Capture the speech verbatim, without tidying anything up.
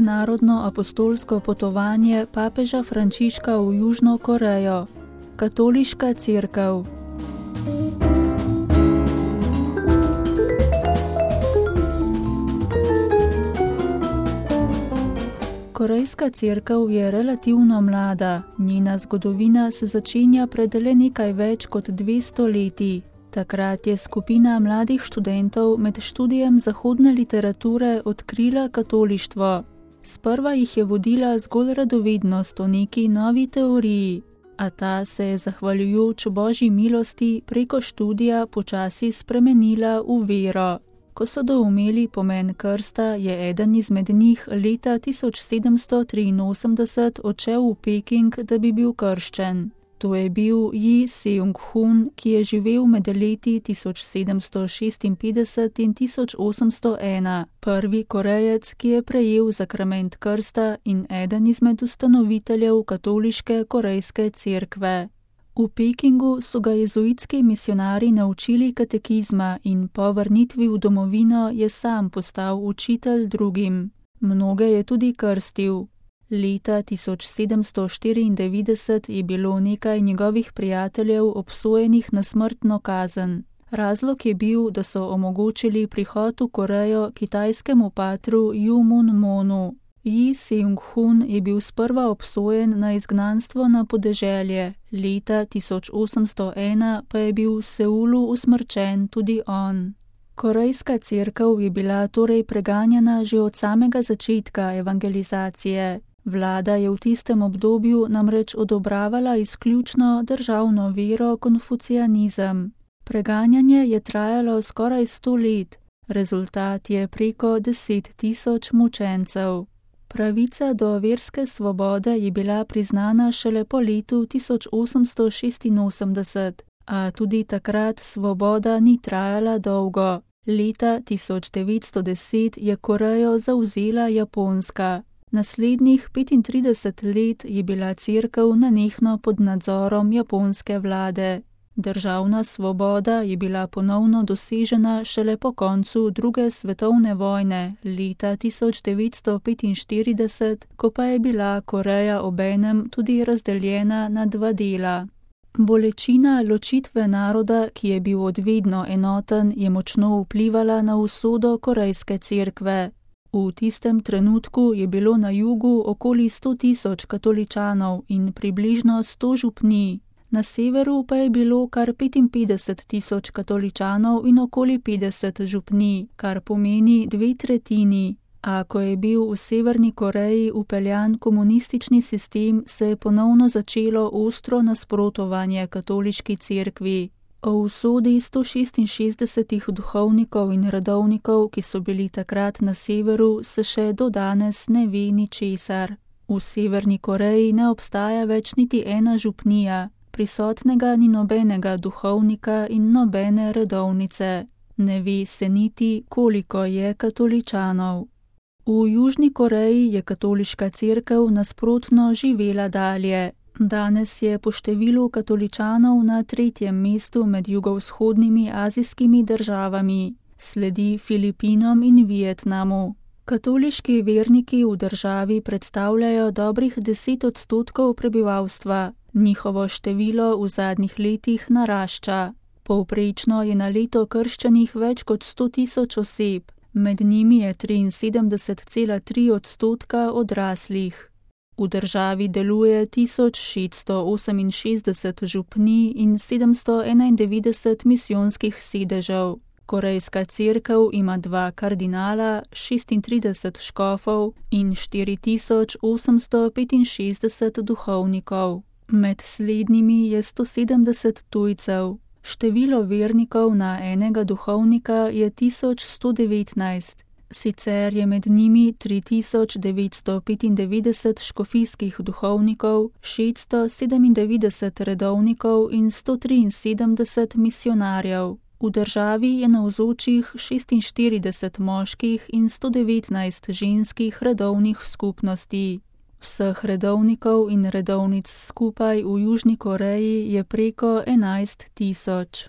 mednarodno apostolsko potovanje papeža Frančiška v Južno Korejo. Katoliška cerkev. Korejska cerkev je relativno mlada, njena zgodovina se začenja pred le nekaj več kot dvesto leti. Takrat je skupina mladih študentov med študijem zahodne literature odkrila katolištvo. Sprva jih je vodila zgolj radovednost o neki novi teoriji, a ta se je zahvaljujoč Božji milosti preko študija počasi spremenila v vero. Ko so doumeli pomen krsta, je eden izmed njih leta tisoč sedemsto triinosemdeset odšel v Peking, da bi bil krščen. To je bil Ji Seung-hun, ki je živel med leti tisoč sedemsto šestinpetdeset in tisoč osemsto ena, prvi Korejec, ki je prejel zakrament krsta in eden izmed ustanoviteljev katoliške korejske cerkve. V Pekingu so ga jezuitski misionarji naučili katekizma in po vrnitvi v domovino je sam postal učitelj drugim. Mnoge je tudi krstil. Leta tisoč sedemsto štiriindevetdeset je bilo nekaj njegovih prijateljev obsojenih na smrtno kazen. Razlog je bil, da so omogočili prihod v Korejo kitajskemu patru Ju Mun Monu. Ji Seung-hun je bil sprva obsojen na izgnanstvo na podeželje, leta tisoč osemsto ena pa je bil v Seulu usmrčen tudi on. Korejska cerkev je bila torej preganjana že od samega začetka evangelizacije. Vlada je v tistem obdobju namreč odobravala izključno državno vero konfucijanizem. Preganjanje je trajalo skoraj sto let, rezultat je preko deset tisoč mučencev. Pravica do verske svobode je bila priznana šele po letu tisoč osemsto šestinosemdeset, a tudi takrat svoboda ni trajala dolgo. Leta tisoč devetsto deset je Korejo zavzela Japonska. Naslednjih petintrideset let je bila cerkev nenehno pod nadzorom japonske vlade. Državna svoboda je bila ponovno dosežena šele po koncu druge svetovne vojne, leta tisoč devetsto petinštirideset, ko pa je bila Koreja obenem tudi razdeljena na dva dela. Bolečina ločitve naroda, ki je bil odvedno enoten, je močno vplivala na usodo korejske cerkve. V tistem trenutku je bilo na jugu okoli sto tisoč katoličanov in približno sto župnij. Na severu pa je bilo kar petinpetdeset tisoč katoličanov in okoli petdeset župnij, kar pomeni dve tretjini. A ko je bil v Severni Koreji upeljan komunistični sistem, se je ponovno začelo ostro nasprotovanje katoliški cerkvi. O usodi sto šestinšestdesetih duhovnikov in redovnikov, ki so bili takrat na severu, se še do danes ne ve ničesar. V Severni Koreji ne obstaja več niti ena župnija. Prisotnega ni nobenega duhovnika in nobene redovnice. Ne ve se niti, koliko je katoličanov. V Južni Koreji je katoliška cerkev nasprotno živela dalje. Danes je po številu katoličanov na tretjem mestu med jugovzhodnimi azijskimi državami, sledi Filipinom in Vietnamu. Katoliški verniki v državi predstavljajo dobrih deset odstotkov prebivalstva. Njihovo število v zadnjih letih narašča. Povprečno je na leto krščenih več kot sto tisoč oseb, med njimi je triinsedemdeset cela tri odstotka odraslih. V državi deluje tisoč šeststo oseminšestdeset župnij in sedemsto enaindevetdeset misijonskih sedežev. Korejska cerkev ima dva kardinala, šestintrideset škofov in štiri tisoč osemsto petinšestdeset duhovnikov. Med slednjimi je sto sedemdeset tujcev. Število vernikov na enega duhovnika je tisoč sto devetnajst. Sicer je med njimi tri tisoč devetsto petindevetdeset škofijskih duhovnikov, šeststo sedemindevetdeset redovnikov in sto triinsedemdeset misionarjev. V državi je navzočih šestinštirideset moških in sto devetnajst ženskih redovnih skupnosti. Vseh redovnikov in redovnic skupaj v Južni Koreji je preko enajst tisoč.